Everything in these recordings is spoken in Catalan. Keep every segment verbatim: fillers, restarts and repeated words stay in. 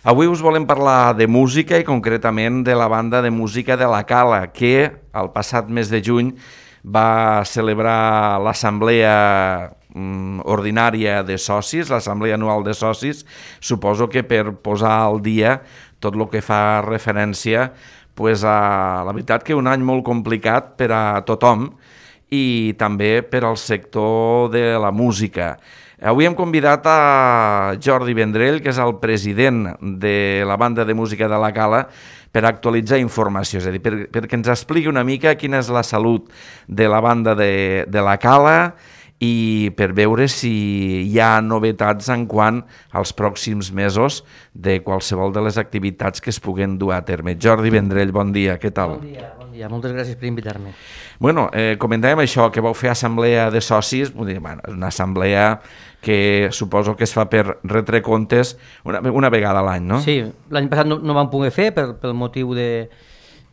Avui us volem parlar de música i concretament de la banda de música de la Cala, que el passat mes de juny va celebrar l'assemblea mm, ordinària de socis, l'assemblea anual de socis, suposo que per posar al dia tot el que fa referència pues, a la veritat que un any molt complicat per a tothom i també per al sector de la música. Avui hem convidat a Jordi Vendrell, que és el president de la banda de música de la Cala, per actualitzar informació, és a dir, per, perquè ens expliqui una mica quina és la salut de la banda de, de la Cala i per veure si hi ha novetats en quant als pròxims mesos de qualsevol de les activitats que es puguen dur a terme. Jordi Vendrell, bon dia, què tal? Bon dia, bon dia, moltes gràcies per invitar-me. Bueno, eh, comentàvem això, que vau fer assemblea de socis, vull dir, bueno, una assemblea que suposo que es fa per retre comptes una, una vegada a l'any, no? Sí, l'any passat no, no vam poder fer per, pel motiu de,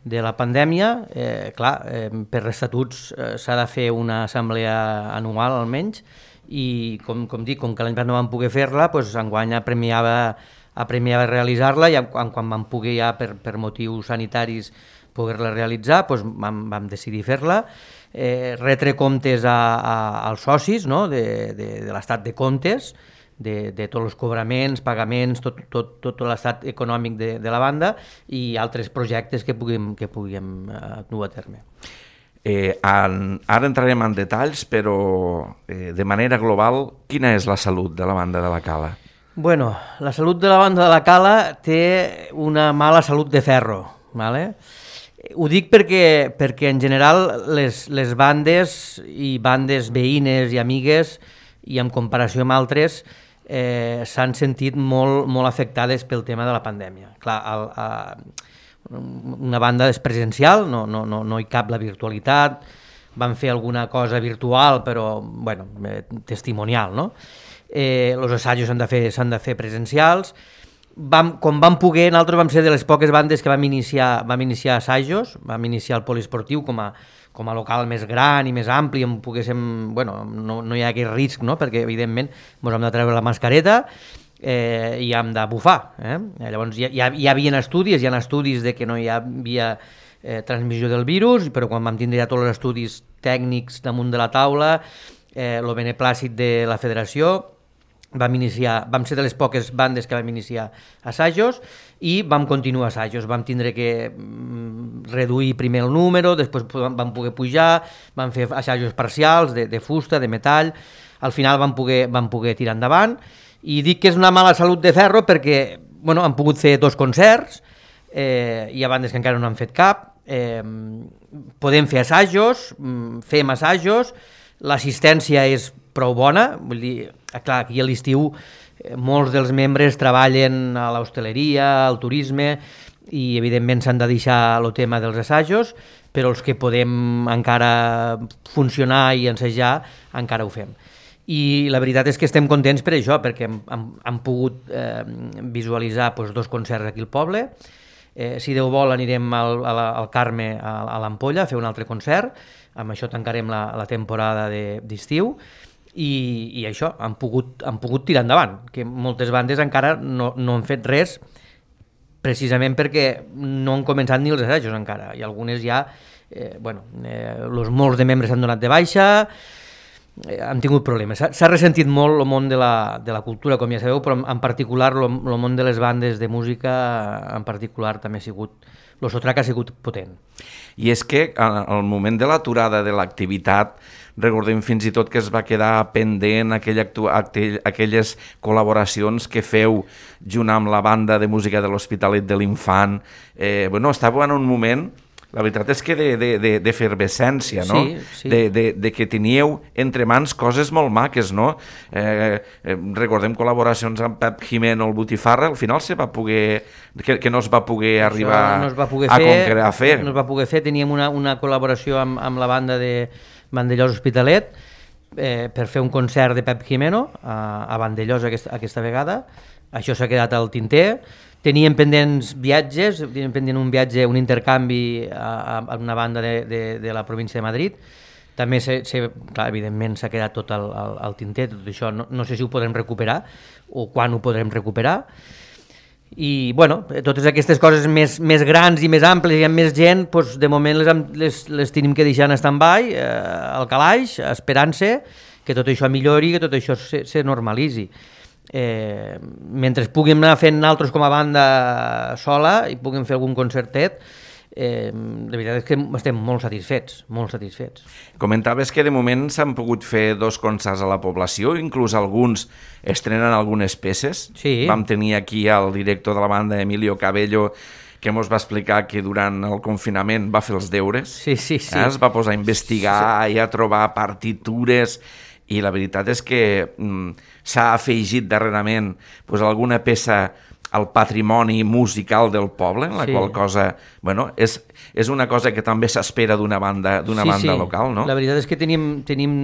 de la pandèmia. Eh, clar, eh, per estatuts eh, s'ha de fer una assemblea anual almenys i com, com dic, com que l'any passat no vam poder fer-la, doncs enguany apremiava, apremiava realitzar-la i quan, quan vam poder ja per, per motius sanitaris poder-la realitzar, doncs vam, vam decidir fer-la. Eh, retre comptes a, a, als socis, no? de, de, de l'estat de comptes, de, de tots els cobraments, pagaments, tot, tot, tot l'estat econòmic de, de la banda i altres projectes que puguem, que puguem uh, dur a terme. Eh, en, ara entrarem en detalls, però eh, de manera global, quina és la salut de la banda de la Cala? Bueno, la salut de la banda de la Cala té una mala salut de ferro, ¿vale? Ho dic perquè, perquè en general les, les bandes i bandes veïnes i amigues i en comparació amb altres eh, s'han sentit molt, molt afectades pel tema de la pandèmia. Clar, el, a, una banda és presencial, no, no, no, no hi cap la virtualitat, van fer alguna cosa virtual però bueno, eh, testimonial, no? Eh, els assajos s'han de fer, s'han de fer presencials. Vam, com vam poder, nosaltres vam ser de les poques bandes que vam iniciar, vam iniciar assajos, vam iniciar el poliesportiu com a, com a local més gran i més ampli, on poguéssim, bueno, no, no hi ha aquest risc, no? Perquè evidentment ens hem de treure la mascareta eh, i hem de bufar. Eh? Llavors hi, hi, hi havia estudis, hi ha estudis de que no hi havia eh, transmissió del virus, però quan vam tindre ja tots els estudis tècnics damunt de la taula, eh, el beneplàcit de la federació, Vam, iniciar, vam ser de les poques bandes que vam iniciar assajos i vam continuar assajos. Vam tindre que mm, reduir primer el número, després vam poder pujar, vam fer assajos parcials de, de fusta, de metall, al final vam poder, vam poder tirar endavant i dic que és una mala salut de ferro perquè bueno, han pogut fer dos concerts, eh, hi ha bandes que encara no han fet cap, eh, podem fer assajos, fem assajos, l'assistència és prou bona, vull dir, clar, aquí a l'estiu eh, molts dels membres treballen a l'hostaleria, al turisme i evidentment s'han de deixar el tema dels assajos, però els que podem encara funcionar i ensejar encara ho fem. I la veritat és que estem contents per això, perquè hem, hem, hem pogut eh, visualitzar doncs, dos concerts aquí al poble. Eh, si Déu vol anirem al, al, al Carme, a, a l'Ampolla, a fer un altre concert, amb això tancarem la, la temporada de, d'estiu. I, i això, han pogut, han pogut tirar endavant, que moltes bandes encara no, no han fet res precisament perquè no han començat ni els assajos encara, i algunes ja, eh, bueno, eh, els molts de membres s'han donat de baixa, eh, han tingut problemes. S'ha ressentit molt el món de la, de la cultura, com ja sabeu, però en particular el món de les bandes de música en particular també ha sigut, el sotrac ha sigut potent. I és que al moment de l'aturada de l'activitat, recordem fins i tot que es va quedar pendent aquell actu- aquell, aquelles col·laboracions que feu junt amb la banda de música de l'Hospitalet de l'Infant. Eh, bueno, estàveu en un moment, la veritat és que de, de, de, d'efervescència, no? Sí, sí. De, de, de que teníeu entre mans coses molt maques, no? Eh, eh, recordem col·laboracions amb Pep Jimeno, el Botifarra, al final se va poder, que, que no es va poder Això arribar no es va poder a, fer, concre- a fer. No es va poder fer, teníem una, una col·laboració amb, amb la banda de Vandellós Hospitalet eh, per fer un concert de Pep Jimeno a, a Vandellós aquesta, aquesta vegada. Això s'ha quedat al tinter. Teníem pendents viatges, teníem pendent un viatge, un intercanvi a, a una banda de, de, de la província de Madrid. També, se, se, clar, evidentment, s'ha quedat tot al, al, al tinter, tot això. No, no sé si ho podrem recuperar o quan ho podrem recuperar. I, bueno, totes aquestes coses més, més grans i més amples i amb més gent, doncs, de moment les, les, les tenim que deixar en stand-by, eh, al calaix, esperant-se que tot això millori, que tot això se, se normalitzi. Eh, mentre puguem anar fent altres com a banda sola i puguem fer algun concertet, eh, la veritat és que estem molt satisfets, molt satisfets. Comentaves que de moment s'han pogut fer dos concerts a la població, inclús alguns estrenen algunes peces. Sí. Vam tenir aquí el director de la banda, Emilio Cabello, que ens va explicar que durant el confinament va fer els deures, sí, sí, sí. Eh? Es va posar a investigar sí. i a trobar partitures, i la veritat és que mm, s'ha afegit darrerament pues, alguna peça al patrimoni musical del poble, en la sí. qual cosa, bueno, és, és una cosa que també s'espera d'una banda, d'una sí, banda sí. local, no? La veritat és que tenim, tenim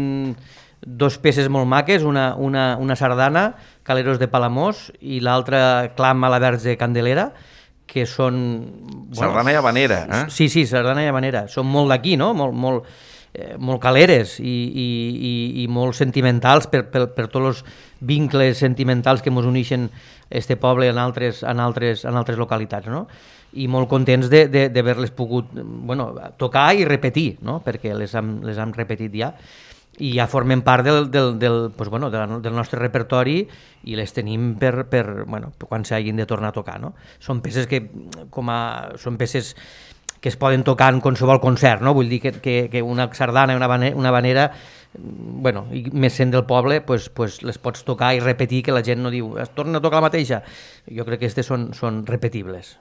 dos peces molt maques, una, una, una sardana, Caleros de Palamós, i l'altra Clam a la Verge Candelera, que són... Bueno, sardana i habanera, eh? Sí, sí, sardana i habanera. Són molt d'aquí, no? Molt, molt, eh, molt caleres i, i, i, i molt sentimentals per, per, per tots els vincles sentimentals que ens uneixen este poble en altres, en altres, en altres localitats, no? I molt contents d'haver-les pogut, bueno, tocar i repetir, no? Perquè les hem, les hem repetit ja, i ja formen part del, del, del, pues, bueno, del nostre repertori i les tenim per, per, bueno, per quan s'hagin de tornar a tocar, no? Són peces que, com a, són peces que es poden tocar en qualsevol concert, no? Vull dir que, que, que una sardana i una, una habanera, bueno, i més sent del poble, pues, pues les pots tocar i repetir, que la gent no diu es torna a tocar la mateixa. Jo crec que aquestes són, són repetibles.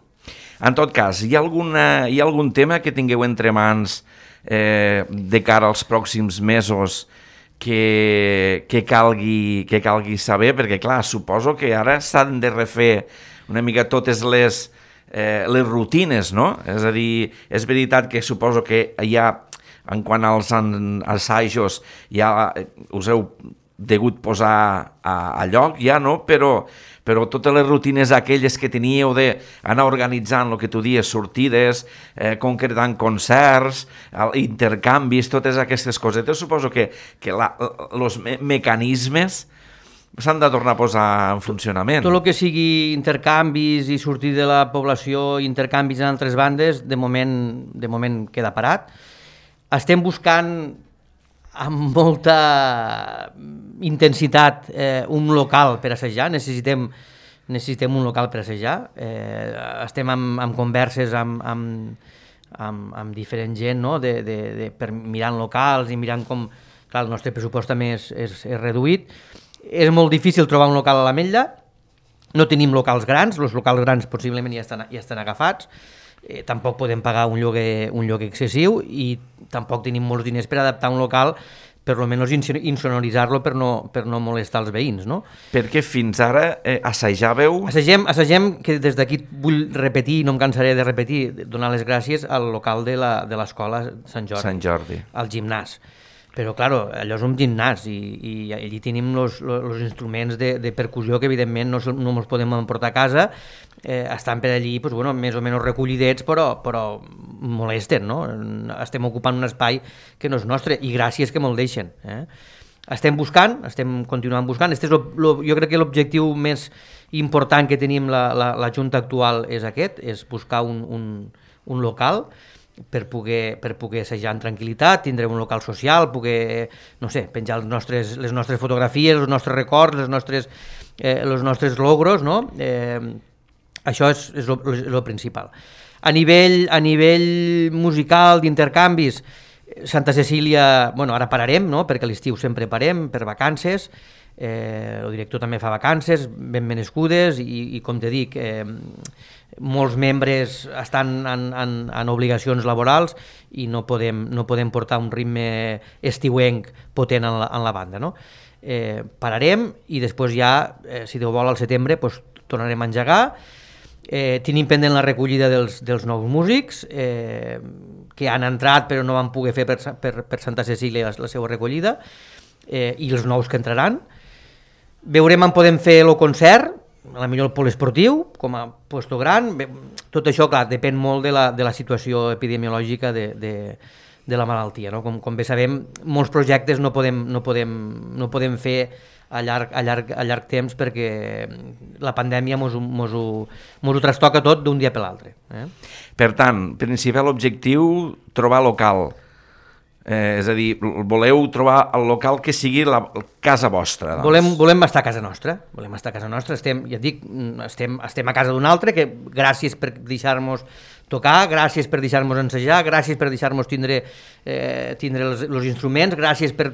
En tot cas, hi ha, alguna, hi ha algun tema que tingueu entre mans eh, de cara als pròxims mesos que, que, calgui, que calgui saber? Perquè, clar, suposo que ara s'han de refer una mica totes les, eh, les rutines, no? És a dir, és veritat que suposo que hi ha, en quant als assajos, ja us heu degut posar a, a lloc, ja, no? Però, però totes les rutines aquelles que teníeu d'anar organitzant el que tu dies, sortides, eh, concretant concerts, intercanvis, totes aquestes cosetes, suposo que, que els me mecanismes s'han de tornar a posar en funcionament. Tot el que sigui intercanvis i sortir de la població, intercanvis en altres bandes, de moment, de moment queda parat. Estem buscant amb molta intensitat eh, un local per assajar, necessitem, necessitem un local per assajar. Eh, estem amb, amb converses amb, amb, amb, amb diferent gent, no? de, de, de, per mirant locals i mirant com... Clar, el nostre pressupost també és, és, és reduït. És molt difícil trobar un local a l'Ametlla, no tenim locals grans, els locals grans possiblement ja estan, ja estan agafats, eh, tampoc podem pagar un lloguer, un lloguer excessiu i tampoc tenim molts diners per adaptar un local, per almenys insonoritzar-lo per no, per no molestar els veïns, no? Perquè fins ara eh, assajàveu... Assagem, assagem, que des d'aquí vull repetir, no em cansaré de repetir, donar les gràcies al local de l'escola Sant Jordi, Sant Jordi, al gimnàs. Però, clar, allò és un gimnàs i, i allí tenim els instruments de, de percussió que, evidentment, no, no ens podem emportar a casa. Eh, estan per allí, pues, bueno, més o menys recollidets, però, però molesten, no? Estem ocupant un espai que no és nostre i gràcies que me'l deixen. Eh? Estem buscant, estem continuant buscant. Este és lo, lo, jo crec que l'objectiu més important que tenim la, la, la Junta actual és aquest, és buscar un, un, un local per poder, per poder assajar en tranquil·litat, tindre un local social, poder, no sé, penjar els nostres, les nostres fotografies, els nostres records, les nostres, eh, els nostres logros, no? Eh, això és, és el principal. A nivell, a nivell musical, d'intercanvis, Santa Cecília, bueno, ara pararem, no? Perquè a l'estiu sempre parem, per vacances, eh, el director també fa vacances, ben merescudes, i, i com te dic, eh, molts membres estan en, en, en obligacions laborals i no podem, no podem portar un ritme estiuenc potent en la, en la banda, no? Eh, pararem i després ja, eh, si Déu vol, al setembre, pues, tornarem a engegar. Eh, tenim pendent la recollida dels, dels nous músics eh, que han entrat però no van poder fer per, per, per Santa Cecília la, la seva recollida, eh, i els nous que entraran. Veurem on podem fer el concert, a la millor el poliesportiu, com a puesto gran. Tot això, clar, depèn molt de la, de la situació epidemiològica de, de, de la malaltia, no? Com, com bé sabem, molts projectes no podem, no podem, no podem fer a llarg, a llarg, a llarg temps, perquè la pandèmia mos, mos, ho, mos ho trastoca tot d'un dia per l'altre. Eh? Per tant, principal objectiu, trobar local. Eh, és a dir, voleu trobar el local que sigui la casa vostra. Doncs. Volem, volem estar a casa nostra, volem estar a casa nostra, estem, ja et dic, estem, estem a casa d'un altre, que gràcies per deixar-nos tocar, gràcies per deixar-nos ensejar, gràcies per deixar-nos tindre, eh, tindre els, els instruments, gràcies per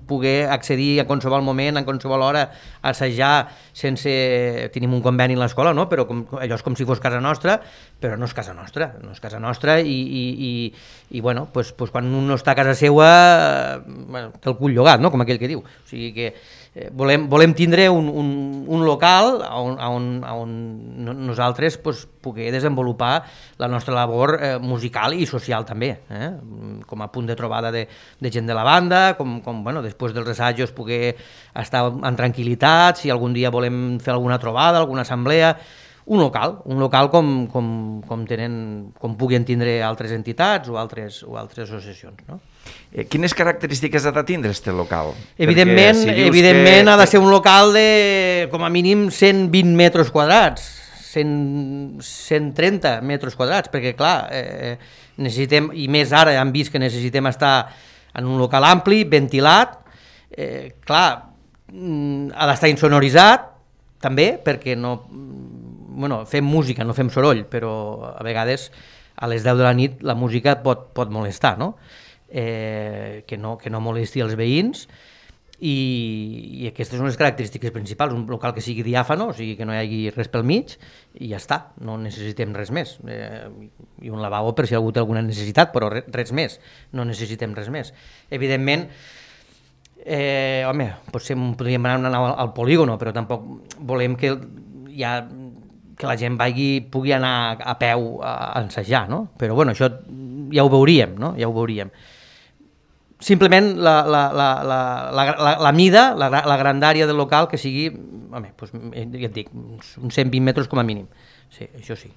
poder accedir a qualsevol moment, a qualsevol hora, a assajar sense... Tenim un conveni a l'escola, no? Però com, allò és com si fos casa nostra, però no és casa nostra, no és casa nostra i, i, i, i bueno, pues, pues quan un no està a casa seua, bueno, té el cul llogat, no? Com aquell que diu. O sigui que eh, volem, volem tindre un, un, un local on, on, on nosaltres pues, poder desenvolupar la nostra labor eh, musical i social també, eh? Com a punt de trobada de, de gent de la banda, com, com bueno, després dels assajos poder estar en tranquil·litat, si algun dia volem fer alguna trobada, alguna assemblea, un local, un local com, com, com, tenen, com puguin tindre altres entitats o altres, o altres associacions, no? Eh, quines característiques ha de tindre aquest local? Evidentment, si evidentment que... ha de ser un local de com a mínim cent vint metres quadrats, cent, cent trenta metres quadrats, perquè clar, eh, necessitem, i més ara hem vist que necessitem estar en un local ampli, ventilat, eh, clar, ha d'estar insonoritzat, també, perquè no... Bueno, fem música, no fem soroll, però a vegades a les deu de la nit la música pot, pot molestar, no? Eh, que no? Que no molesti els veïns i, i aquestes són les característiques principals, un local que sigui diàfano, o sigui que no hi hagi res pel mig i ja està, no necessitem res més. Eh, i un lavabo per si algú té alguna necessitat, però res més, no necessitem res més. Evidentment, eh, home, potser podríem anar al, al polígono, però tampoc volem que ja... que la gent vagi, pugui anar a peu a ensejar, no? Però bueno, això ja ho veuríem, no? Ja ho veuríem. Simplement la, la, la, la, la, la, la mida, la, la grandària del local que sigui, home, doncs, ja et dic, uns cent vint metres com a mínim. Sí, això sí.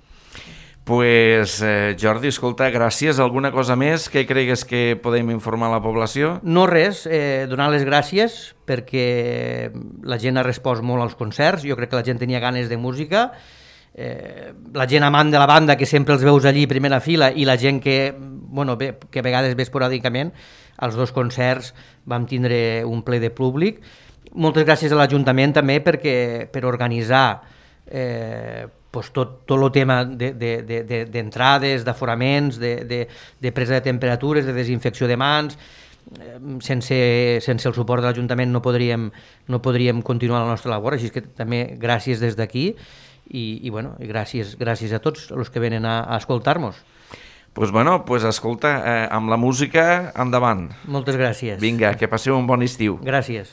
Pues, eh, Jordi, escolta, gràcies. Alguna cosa més que cregues que podem informar a la població? No res, eh, donar les gràcies perquè la gent ha respost molt als concerts, jo crec que la gent tenia ganes de música, eh, la gent amant de la banda que sempre els veus allí a primera fila i la gent que, bueno, ve, que a vegades ve esporàdicament, als dos concerts vam tindre un ple de públic. Moltes gràcies a l'Ajuntament també perquè, per organitzar eh, pues tot, tot el tema d'entrades, de, de, de, d'aforaments, de, de, de presa de temperatures, de desinfecció de mans. Sense, sense el suport de l'Ajuntament no podríem, no podríem continuar la nostra labor, així que també gràcies des d'aquí i, i, bueno, i gràcies, gràcies a tots els que venen a, a escoltar-nos. Pues bueno, pues escolta, eh, amb la música endavant. Moltes gràcies. Vinga, que passeu un bon estiu. Gràcies.